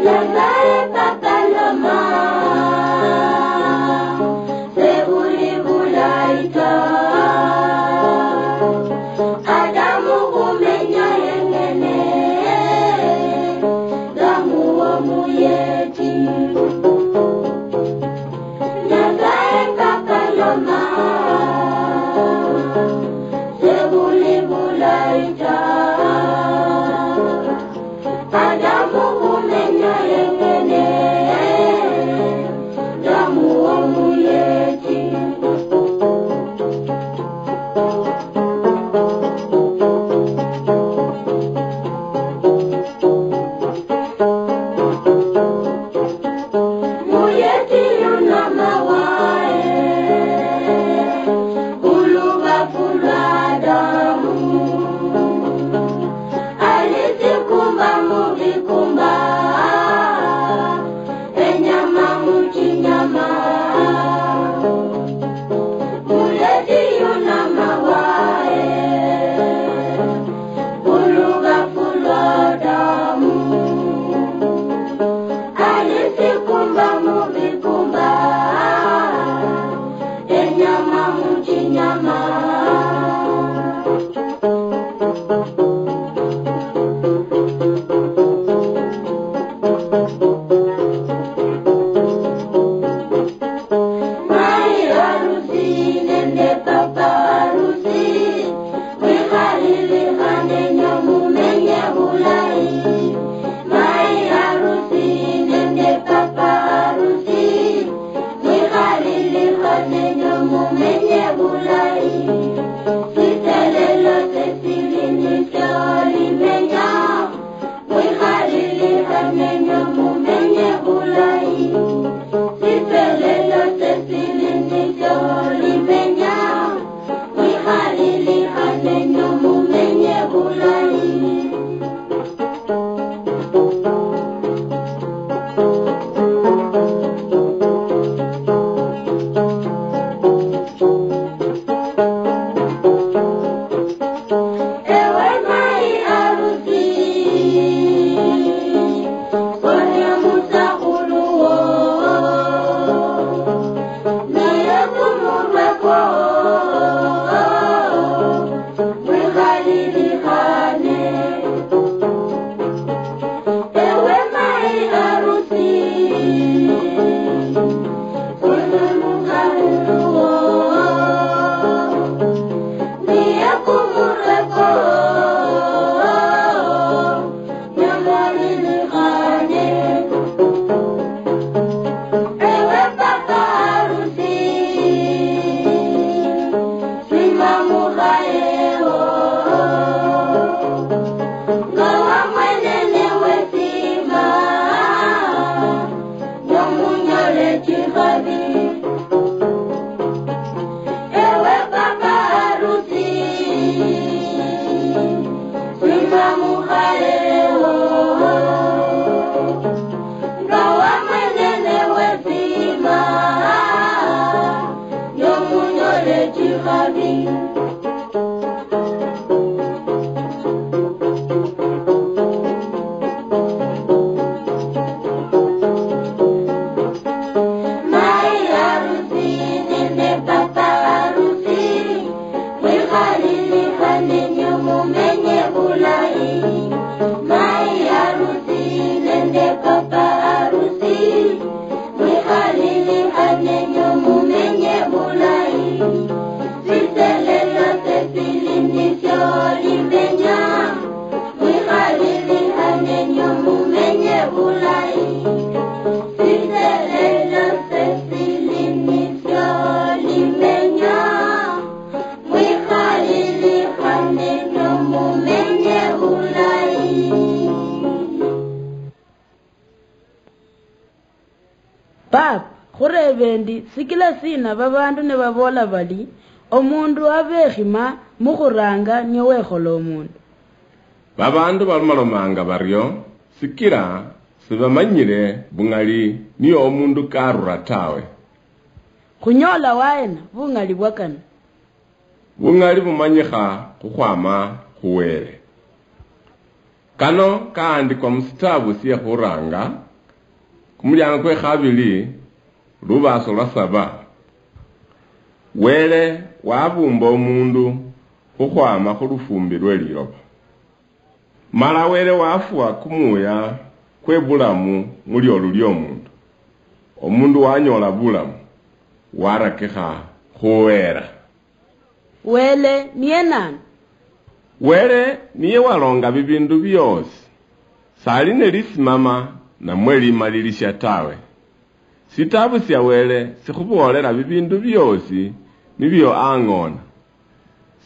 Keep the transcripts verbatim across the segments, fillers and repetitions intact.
Nyasaye Papa loma, sebuli bulayi ta. Adamu khumenya yengene, Adamu womuyeti. Nyasaye Papa loma, sebuli bulayi ta. Adamu khumenya yengene, Adamu womuyeti. Muyeti yunamawae, khulubafu lwa Adamu. Alisikumba mubikumba, enyama muchinyama. Muleti yunamawae, khulubafu lwa Adamu. Alisikumba mubikumba, enyama muchinyama. Mai harusi nende papa harusi, mwikhalilikhane nyo mumenye bulayi. Mai harusi nende papa harusi, mwikhalilikhane nyo mumenye bulayi. Siselelo sesili nisyo limenya, mwikhalilikhane nyo mumenye bulayi. Siselelo sesili nisyo limenya, mwikhalilikhane nyo mumenye bulayi. Ewe mai harusi, sonia musakhulu wo, naye kumurwe kwo, mwikhalilikhane. Ewe mai harusi, khulumuka luluwo, niye kumurwe kwo, nyamwalilikhane. Ewe papa harusi, sima mukhayewo, nga wamwenene wesima, nomunyole chikhabi. Ewe papa harusi, sima mukhayewo, nga wamwenene wesima, nomunyole chikhabi. Mai harusi nende papa harusi, mwikhalilikhane nyo mumenye bulayi. Mai harusi nende papa harusi, mwikhalilikhane nyo mumenye bulayi. Siselelo sesili nisyo limenya, mwikhalilikhane nyo mumenye bulayi. Siselelo sesili nisyo limenya, mwikhalilikhane nyo mumenye bulayi. Pap, khurebe endi, sikila sina babandu nibabola bali, omundu abe ekhima mukhuranga niye wekhola omundu? Babandu balomalomanga bario, sikila sibamanyile bung'ali niyo omundu karura tawe. Khunyola waena bung'ali bwakana? Bung'ali bumanyikha khukhwama khu Wele. Kano kahandikwa mu sitabu sie khuranga, kumuliango kwe khabili, lubaso lwa saba. Wele wabumba omundu khukhwama khu lufumbi lwe liloba. Mala Wele wafua kumuya kwe bulamu mu liolu liomundu. Omundu wanyola bulamu, warakikha khuhera. Wele niye nani? Wele niye walonga bibindu biosi, sali ne lisimama namwe limalilisia tawe. Sitabu sia Wele sikhuboolela bibindu biosi nibio ang'ona.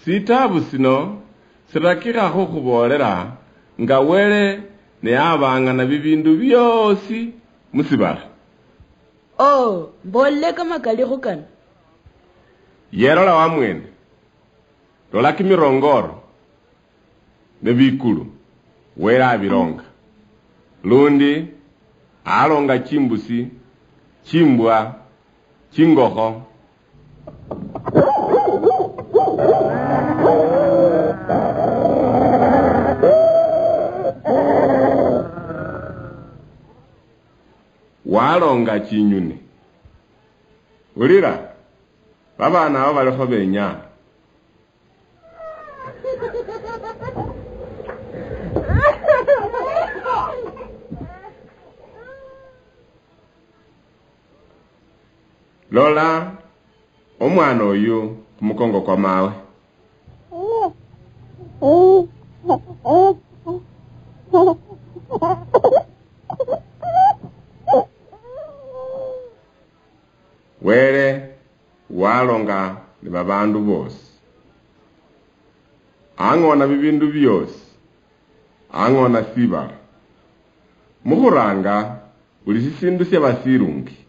Sitabu sino sirakikha khukhuboolela nga Wele ne abang'ana bibindu biosi musibala. Oo, mbolile kamakalikho kano. Yelola wamwene. Lola kimirongoro ne bikulu, Wele abilonga. Lundi alonga chimbusi, chimbwa, chingokho. Walonga chinyuni. Ulira, babana abo balikho benya. Lola omwana oyu khumukongo kwa mawe. Wele walonga ni babandu bosi. Ang'ona bibindu biosi. Ang'ona sibala. Mukhuranga buli sisindu siaba silungi.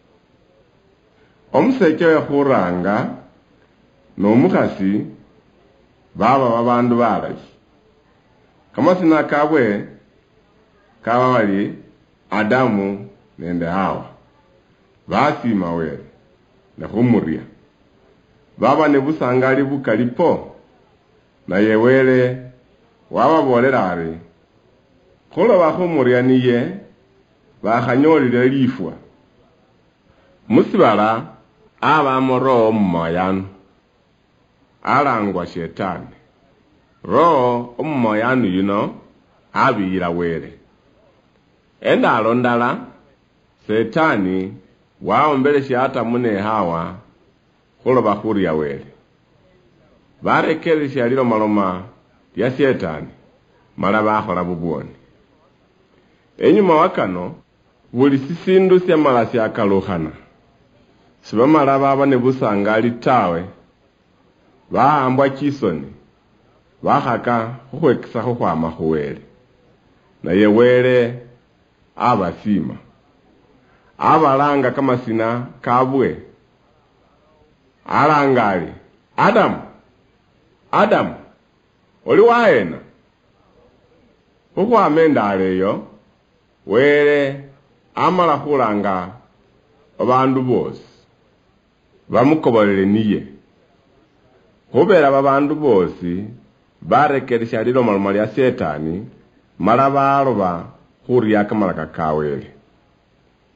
Omusecha oyo khuranga nomukhasi baba babandu balayi. Kamasina kabwe kaba bali Adamu nende Hawa. Basiima Wele, ne khumuria. Baba ne busangali bukali po, naye Wele wababoolela ari, khuloba khumuria niye bakhanyoolile lifwa. Musibala abamo roho omumoyanu, alangwa Shetani. Roho omumoyanu yuno abiyila Wele. Endaalo ndala, Setani waombelesia Atamu ne Hawa khuloba khuria Wele. Barekeresia lilomaloma lia Setani, mala bakhola bubwoni. Enyuma wa kano, buli sisindu siamala siakalukhana. Sibamala baba ne busangali tawe. Bahambwa chisoni, bakhaka khukhwekisakho khwama khu Wele. Naye Wele abasiima. Abalanga kamasina kabwe. Alanga ari, Adamu! Adamu! Oli wahena? Khukhwama endaalo eyo, Wele amala khulanga babandu boosi bamukobolele niye. Khubera babandu boosi barekeresia lilomaloma lia Setani, mala baloba khuria kamalaka ka Wele.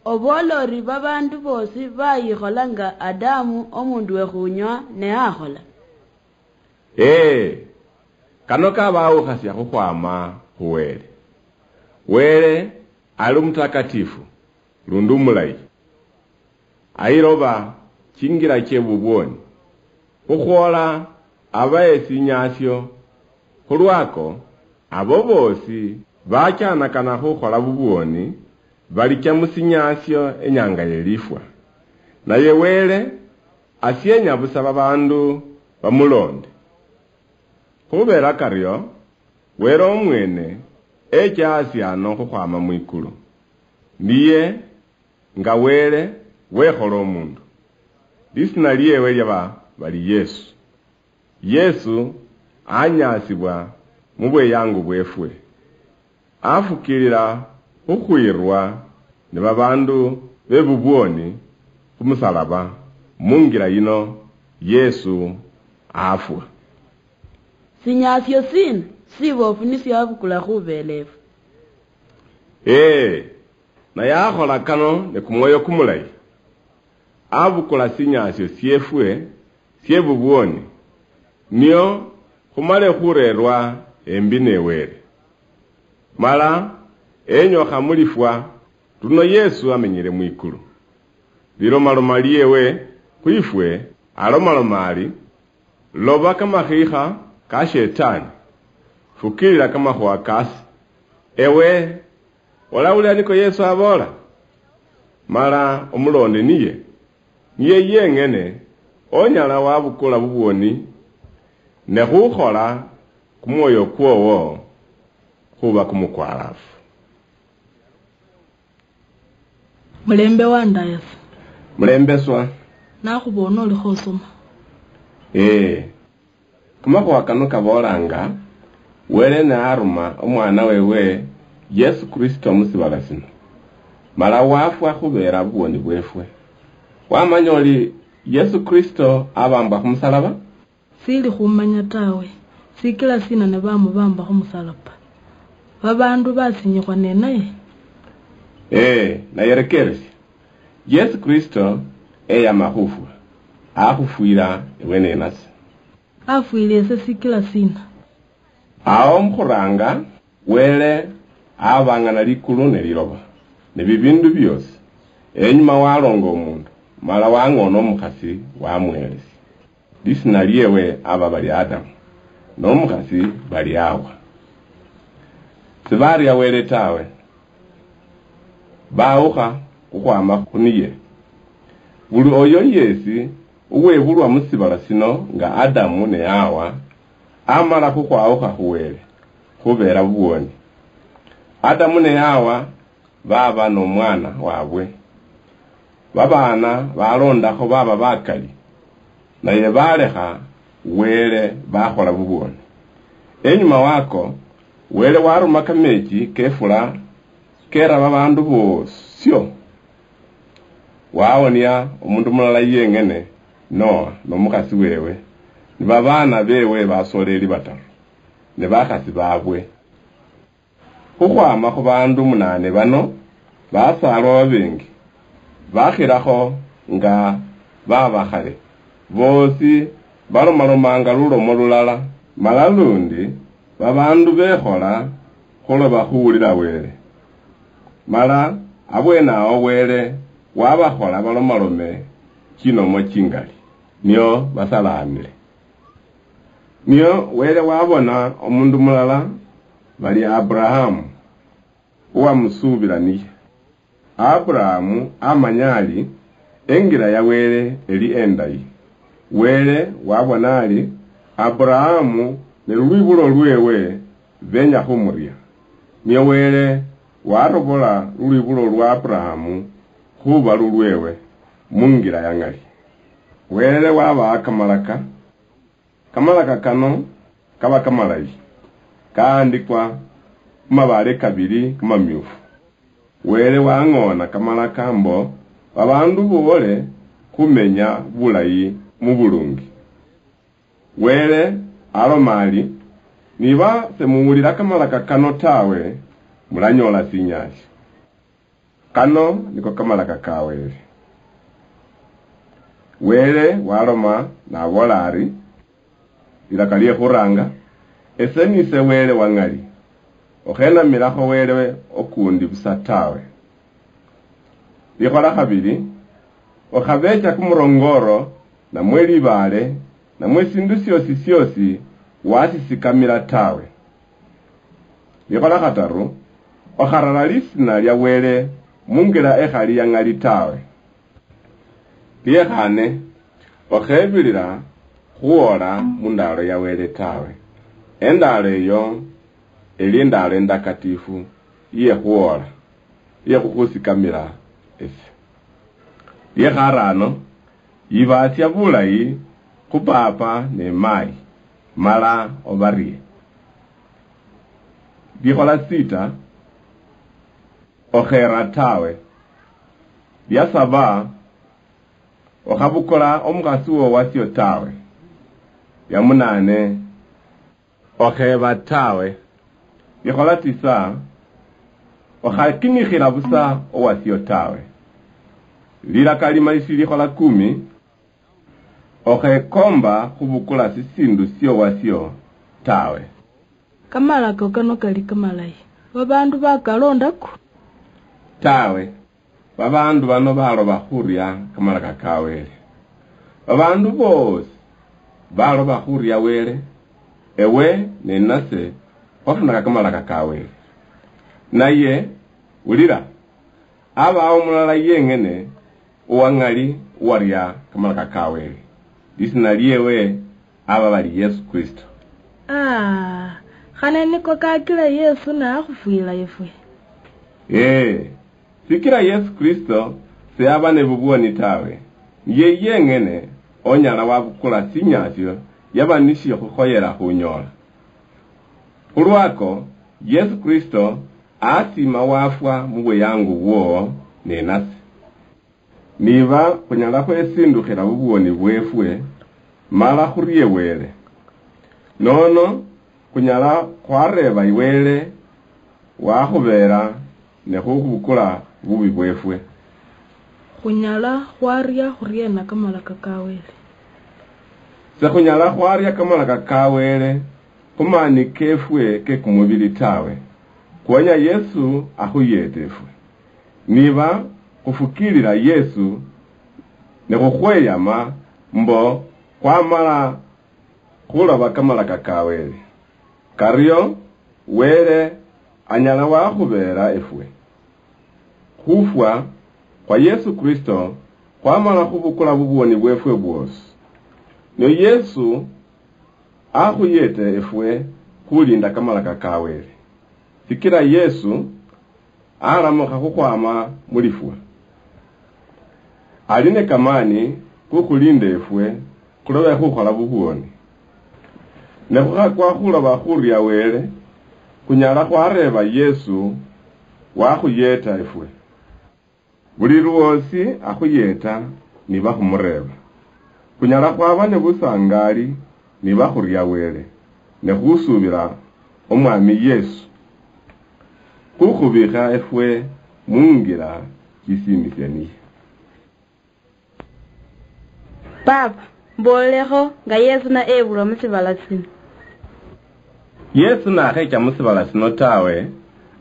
Oboola ori babaandu boosi bayikhola nga Adamu omundu wekhunywa ne akhola? Ee, kano kabawukhasia khukhwama khu Wele. Wele ali omutakatifu lundi omulayi. Ayiloba chingira chie bubwoni, khukhwola abahe sinyasio. Khulwako, abo boosi bachanakana khukhola bubwoni balicha musinyasio enyanga yelifwa. Naye Wele asienya busa babandu bamulonde. Khubera kario, Wele omwene echa hasi ano khukhwama mwikulu. Niye nga Wele wekhola omundu. Lisina liewe liaba bali Yesu. Yesu anyasibwa mubweyangu bwefwe. Afukilila khukhwirwa ni babandu bebubwoni khumusalaba. Mungira yino Yesu afwa. Sinyasio sina Siboofu nisyo abukula khubeela efwe. Ee, naye akhola kano ne kumwoyo kumulayi. Abukula sinyaasio syeefwe sye bubwoni, nio khumale khureerwa embi ne Wele. Mala enyokha mu lifwa, luno Yesu amenyile mwikulu. Lilomaloma liewe khwifwe, alomaloma ari, "Loba kamakhiikha ka Shetani, fukilila kamakhuwa kaasi." Ewe, olawulila niko Yesu aboola? Mala omuloonde niye, niye yeng'ene onyala wabukula bubwoni ne khukhola kumwoyo kwowo khuba kumukwalaafu. Mulembe wandayasa. Mulembeswa. Nakhubona olikho osoma. Ee. Kamakhuwa kano kaboolanga, Wele naaruma Omwana wewe Yesu Kristo mu sibala sino, mala wafwa khubeera bubwoni bweefwe. Wamanya oli Yesu Kristo abambwa khumusalaba? Sili khumanya tawe, sikila sina ne bamubamba khumusalaba? Babandu basinyikhwa nenaye? Ee, naye rekeresia. Yesu Kristo eyama khufwa, akhufwila ewe nenase. Afwile ese sikila sina? Awo mukhuranga, Wele abang'ana likulu ne liloba, ne bibindu biosi. Enyuma walonga omundu, mala wang'ona omukhasi wamwelesia. Lisina liewe aba bali Adamu, nomukhasi bali Hawa. Sibaria Wele tawe, bawukha khukhwama khuniye. Buli oyo yesi uwebulwa musibala sino nga Adamu ne Hawa, amala khukhwawukha khu Wele, khubera bubwoni. Adamu ne Hawa baba nomwana wabwe. Babaana balondakho baba bakali, naye balekha Wele bakhola bubwoni. Enyuma wako, Wele waruma kamechi kefula kera babandu bosio. Wawonia omundu mulala yeng'ene, Noa nomukhasi wewe, ni babaana bewe basoleli bataru, ne bakhasi babwe. Khukhwama khu baandu munaane bano, basaalwa babengi, bakhilakho nga baba khale, boosi balomalomanga lulomo lulala, mala lundi babaandu bekhola khuloba khuwulila Wele. Mala abweene awo Wele wabakhola balomalome chinomo chingali, nio basalaamile. Nio Wele wabona omundu mulala bali Aburahamu, uwamusuubila niye. Aburahamu amanya ali engira ya Wele eli endayi. Wele wabona ali Aburahamu ne lulwibulo lwewe benya khumuria. Nio Wele warobola lulwibulo lwa Aburahamu khuba lulwewe mungira ya ng'ali. Wele wabaha kamalaka. Kamalaka kano kaba kamalayi, kaandikwa khumabaale kabili kamamyufu. Wele wang'oona kamalaka mbo babaandu boole khumenya bulayi mu bulungi. Wele aloma ali, "Niba semuwulila kamalaka kano tawe, mulanyoola sinyaasio." Kano niko kamalaka ka Wele. Wele waloma naboola ari, "Lilaka lie khuranga, ese nise Wele wa ng'ali, okhenamilakho Wele okundi busa tawe. Likhola khabili, okhabecha kumurongoro, namwe libaale, namwe sindu siosi siosi wasisikamila tawe. Likhola khataru, okharara lisina lia Wele mungira ekhali ya ng'ali tawe. Liekhane, okhebilila khuwola mundaalo ya Wele tawe. Endaalo eyo eli endaalo endakatifu iye khuwola, iye khukhusikamila ese." Liekharano, yibaatsia bulayi khu paapa ne maayi, mala obarie. Likhola sita, okhera tawe. Lia saba, okhabukula omukhasi wo wasio tawe. Lia munane, Okheba tawe. Likhola tisa, okhakinikhila busa owasio tawe. Lilaka lima isilikhola kumi, okhekomba khubukula sisindu siowasio tawe. Kamalako kano kali kamalayi, babandu bakalondako? Tawe. Babaandu bano baloba khuria kamalaka ka Wele. Babaandu boosi baloba khuria Wele, ewe ne nase khwafunaka kamalaka ka Wele. Naye, wulira, abawo mulala yeng'ene owa ng'ali owaria kamalaka ka Wele. Lisina liewe aba bali Yesu Kristo. Ah, khane niko kakila Yesu nakhufwila efwe? Ee, sikila Yesu Kristo seaba ne bubwoni tawe, niye yeng'ene onyala wabukula sinyasio yaba nishikhukhoyela khunyola. Khulwako, Yesu Kristo asima wafwa mubuyangu bwowo ne nase. Niba khunyala khwesindukhila bubwoni bwefwe, mala khurie Wele. Nono khunyala khwareeba Wele wakhubeera ne khubukula bubi bwefwe. Khunyala khwaria khuriena kamalaka ka Wele? Sekhunyala khwaria kamalaka ka Wele khumani kefwe kekumubili tawe. Khwenya Yesu akhuyete efwe. Niba khufukiilila Yesu ne khukhweyama mbo khwamala khuloba kamalaka ka Wele, kario Wele anyala wakhubeera efwe. Khufwa khwa Yesu Kristo khwamala khubukula bubwoni bwefwe bwoosi. Ne Yesu akhuyete efwe khulinda kamalaka ka Wele. Sikila Yesu alamukha khukhwama mulifwa. Ali ne kamani kukhulinda efwe khulobe khukhola bubwoni. Ne khukhakwa khuloba khuria Wele, khunyala khwareeba Yesu wakhuyeta efwe. Buli lwoosi akhuyeta niba khumureeba. Khunyala khwaba ne busangali niba khuria Wele ne khusuubila Omwami Yesu khukhubikha efwe mungira chisiimisia niye. Papa, mboolekho nga Yesu na ebulwa musibala sino. Yesu nakhecha musibala sino tawe,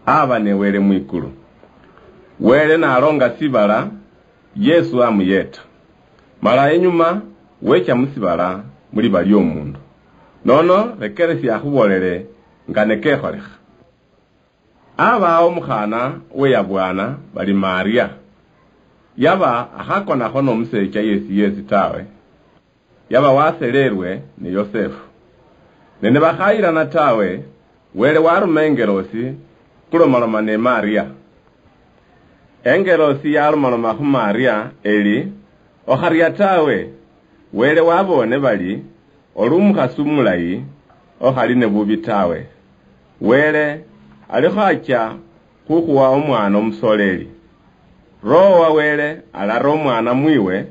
aba ne Wele mwikulu. Wele nalonga sibala, Yesu amuyeta. Mala enyuma wecha musibala muliba liomundu. Nono rekeresia akhubolele nga nekekholekha. Abawo omukhana weyabwana bali Maria. Yaba akhakonakho nomusecha yesi yesi tawe. Yaba waselelwe ni Yosefu. Ne nibakhayilana tawe, Wele waruma engelosi khulomaloma ne Maria. Engelosi yalomaloma khu Maria eli, okharia tawe, Wele wabone bali oli omukhasi omulayi okhali ne bubi tawe. Wele alikho achia khukhuwa omwana omusoleli. Roho wa Wele alara omwana mwiwe,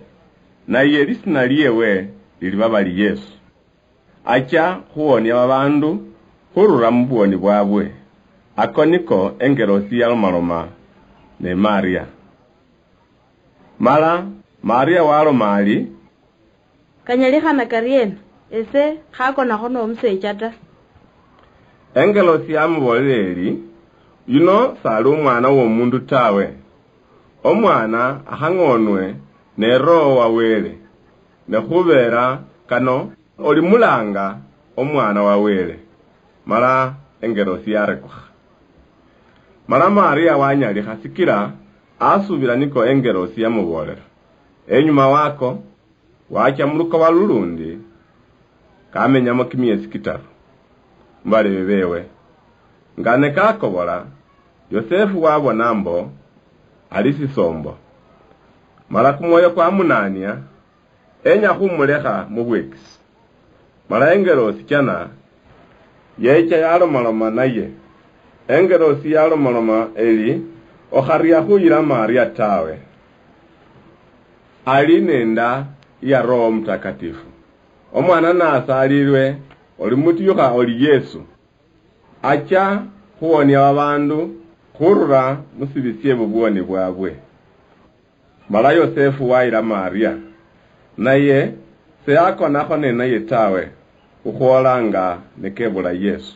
naye lisina liewe liliba bali Yesu. Achia khuwonia babandu khurura mubwoni bwabwe. Ako niko engelosi yalomaloma ne Maria. Mala Maria waloma ali, Kanyalikhana kariena? Ese khakonakho nomusecha ta. Engelosi yamubolera eri, yuno sali omwana womundu tawe. Omwana akhang'onwe ne Roho wa Wele, ne khubera kano olimulanga omwana wa Wele. Mala engelosi yarekukha. Mala Maria wanyalikha sikila asubila niko engelosi yamubolera. Enyuma wako, wacha mulukoba lulundi, kamenyamo kimiesi kitaru mubalebe bewe. Nga nekakobola, Yosefu wabona mbo ali sisombo. Mala kumwoyo kwamunania, enya khumulekha mubwekisi. Mala engelosi chana yecha yalomaloma naye. Engelosi yalomaloma eli, okharia khuyila Maria tawe. Ali nenda ya Roho Mutakatifu. Omwana nasalilwe Olimutuyukha oli Yesu, achia khuwonia babaandu khurula musibi siebubwoni bwabwe. Mala Yosefu wayila Maria, naye seyakonakho nenaye tawe khukhwola nga nikebula Yesu.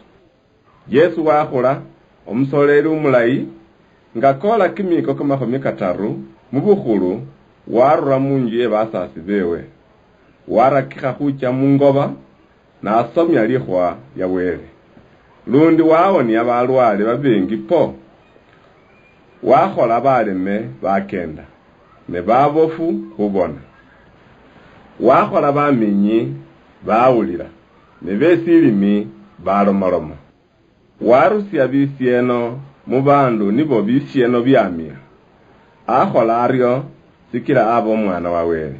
Yesu wakhula omusoleli umulayi, nga kola kimiiko kamakhumi kataru mubukhulu, warura munju ye basaasi bewe, warakikha khucha mungoba, nasomia likhuwa lia Wele. Lundi wawonia balwale babengi po, wakhola baleme bakenda, ne babofu khubona. Wakhola baminyi bawulila, ne besilimi balomaloma. Warusia bisieno mubaandu nibo bisieno biamia. Akhola ario sikila aba Omwana wa Wele.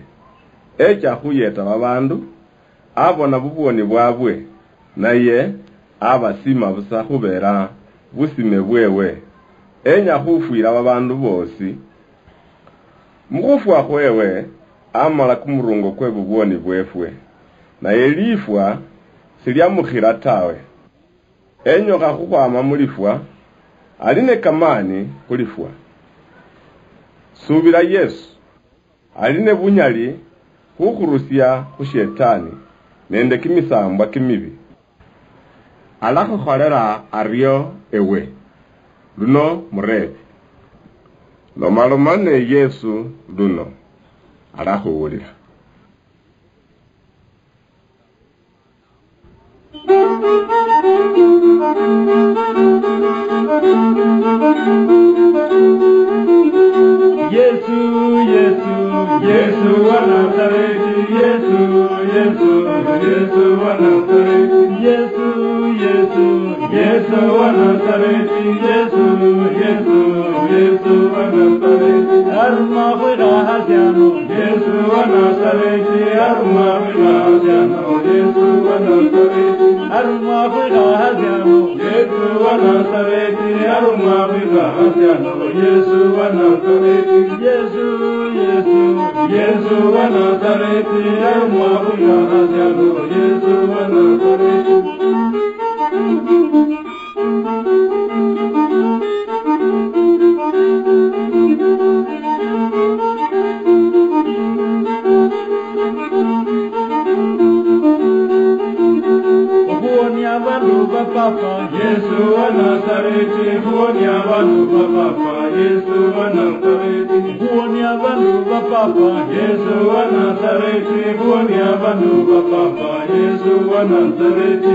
Echa khuyeta babaandu, abona bubwoni bwabwe, naye abasima busa khubela busime bwewe. Enya khufwila babaandu boosi. Mukhufwa khwewe, amala kumurungo kwe bubwoni bwefwe, naye lifwa siliamukhila tawe. Enyokha khukhwama mulifwa, ali ne kamani khulifwa. Subila Yesu, ali ne bunyali khukhurusia khu Shetani nende kimisambwa kimibi. Alakhukholela ario ewe, luno mureebe. Lomaloma ne Yesu luno, alakhuwulila. Yesu, Yesu, Yesu wa Nazareti, Yesu, Yesu, Yesu wa Nazareti, Yesu, Yesu, Yesu wa Nazareti, Yesu, Yesu, Yesu wa Nazareti, aruma khwikhaha siano. Yesu wa Nazareti, aruma khwikhaha siano. Yesu wa Nazareti, aruma khwikhaha siano. Yesu wa Nazareti, aruma khwikhaha siano. Yesu wa Nazareti, Yesu, Yesu, Yesu wa Nazareti, aruma khwikhaha siano. Yesu wa Nazareti. Okhuwonia abandu ba Papa. Yesu wa Nazareti, khuwonia abandu ba Papa. Yesu wa Nazareti, khuwonia abandu ba Papa. Yesu wa Nazareti, khuwonia abandu ba Papa. Yesu wa Nazareti.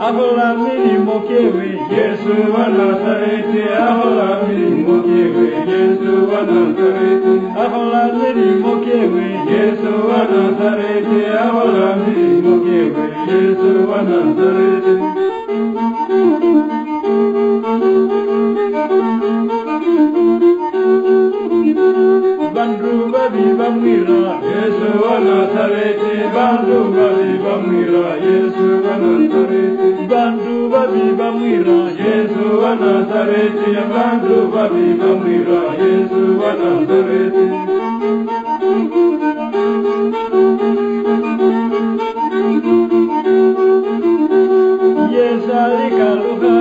Akhola milimo kiewe. Yesu wa Nazareti, akhola milimo kiewe. Yesu wa Nazareti, akhola milimo kiewe. Yesu wa Nazareti, akhola milimo kiewe. Yesu wa Nazareti. Bandu babi bamwira. Yesu wa Nazareti, bandu babi bamwira. Yesu wa Nazareti, bandu babi bamwira. Yesu wa Nazareti, bandu babi bamwira. Yesu wa Nazareti. Yesu alikalukha.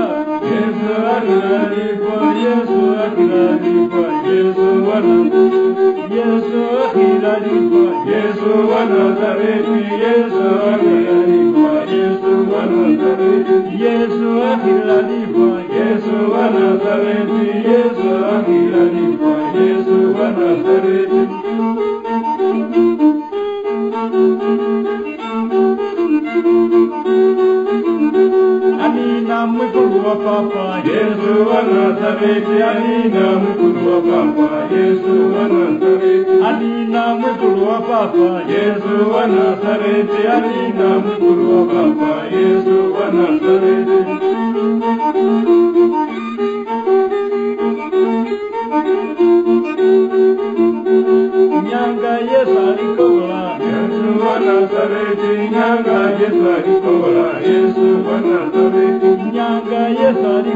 Yesu akhila lifwa, Yesu akhila lifwa, Yesu wa Nazareti. Yesu akhila lifwa, Yesu wa Nazareti, Yesu akhila lifwa, Yesu wa Nazareti. Yesu akhila lifwa, Yesu wa Nazareti, Yesu akhila lifwa, Yesu wa Nazareti. Amina, mwikulu wa Papa. Yesu wa Nazareti, amina, mwikulu wa Papa. Yesu wa Nazareti, amina, mwikulu wa Papa. Yesu wa Nazareti, amina, mwikulu wa Papa. Yesu wa Nazareti. Nyanga Yesu alikobola. Yesu wa Nazareti, nyanga Yesu alikobola. Yesu wa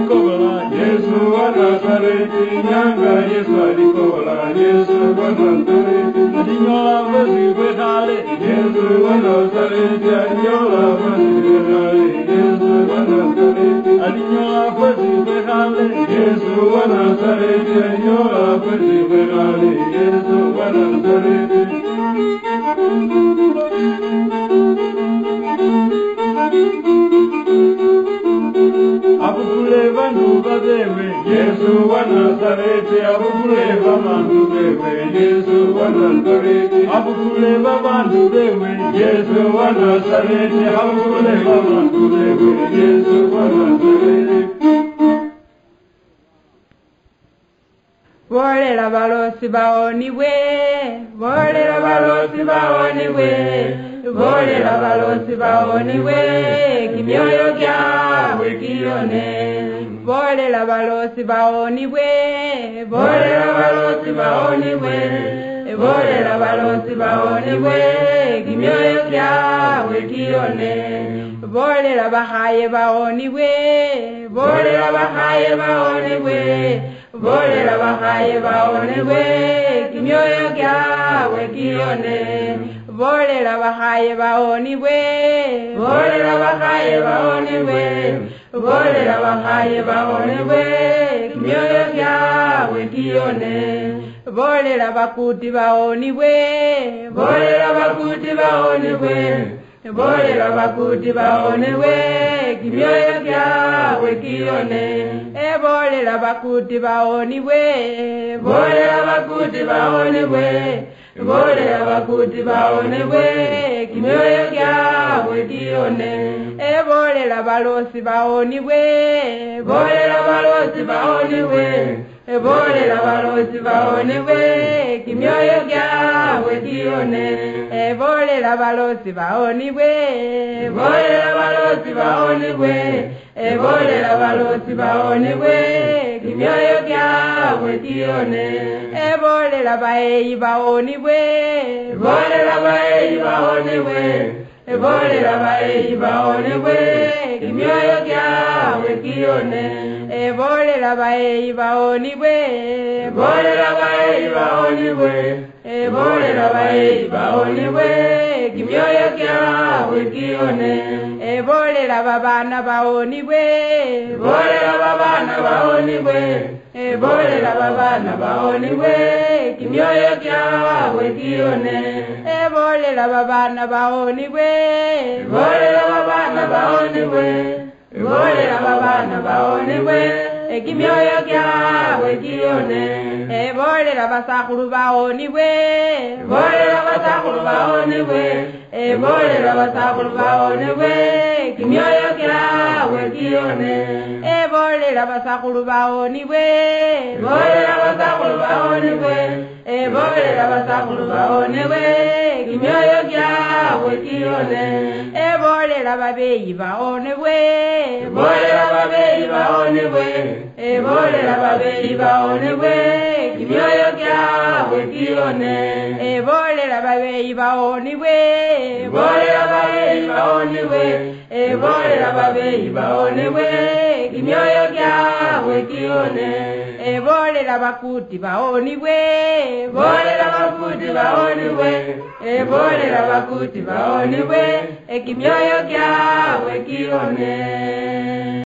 Kobola, Yesu wa Nazareti, nyanga Yesu alikobola, Yesu wa Nazareti, alinyola bwesi bwekhale, Yesu wa Nazareti, alinyola bwesi bwekhale, Yesu wa Nazareti, alinyola bwesi bwekhale, Yesu wa Nazareti, alinyola bwesi bwekhale, Yesu wa Nazareti. Abukule bandu babewe, Yesu wa Nazareti, abukule babandu bewe, Yesu wa Nazareti, abukule babandu bewe, Yesu wa Nazareti, abukule babandu bewe, Yesu wa Nazareti. Bolela balosi baonibwe, bolela balosi baonibwe, bolela balosi baonibwe, kimioyo kiabwe kione. Bolela balosi baonibwe, bolela balosi baonibwe, bolela balosi baonibwe, kimioyo kiabwe kione. Bolela bakhaye baonibwe, bolela bakhaye baonibwe, bolela bakhaye baonebwe, kimioyo kiabwe kione. Bolela bakhaye baonibwe, bolela bakhaye baonibwe, bolela bakhaye baonebwe, kimioyo kiabwe kione. Bolela bakuti baonibwe, bolela bakuti baonibwe, bolela bakuti baonibwe, kimioyo kiabwe kione. Ebolela bakuti baonibwe, bolela bakuti baonibwe, bolela bakuti baonibwe, kimioyo kiabwe kione. Ebolela balosi baonibwe, bolela balosi baonibwe, ebolela balosi baonibwe, kimioyo kiabwe kione. Ebolela balosi baonibwe, ebolela balosi baonibwe, ebolela balosi baonibwe, kimioyo kiabwe kione. Ebolela baeyi baonibwe, ebolela baeyi baonibwe, ebolela baeyi baonibwe, kimioyo kiabwe kione. Ebolela baeyi baonibwe, ebolela baeyi baonibwe, ebolela baeyi baonibwe, kimioyo kiabwe kione. Ebolela babana baonibwe, ebolela babana baonibwe, ebolela babana baonibwe, kimioyo kiabwe kione. Ebolela babana baonibwe, ebolela babana baonibwe, ebolela babana baonibwe, ekimioyo kiabwe kione. Ebolela basakhulu baonibwe, ebolela basakhulu baonibwe, ebolela basakhulu baonibwe, kimioyo kiabwe kione. Ebolela basakhulu baonibwe, ebolela basakhulu baonibwe, ebolela basakhulu baonibwe, kimioyo kiabwe kione. Ebolela babeyi baonibwe, ebolela babeyi baonibwe, ebolela babeyi baonibwe, kimioyo kiabwe kione. Ebolela babeyi baonibwe, ebolela babeyi baonibwe, ebolela babeyi baonibwe, kimioyo kiabwe kione. Ebolela bakuti baonibwe, ebolela bakuti baonibwe, ebolela bakuti baonibwe, ekimioyo kiabwe kione.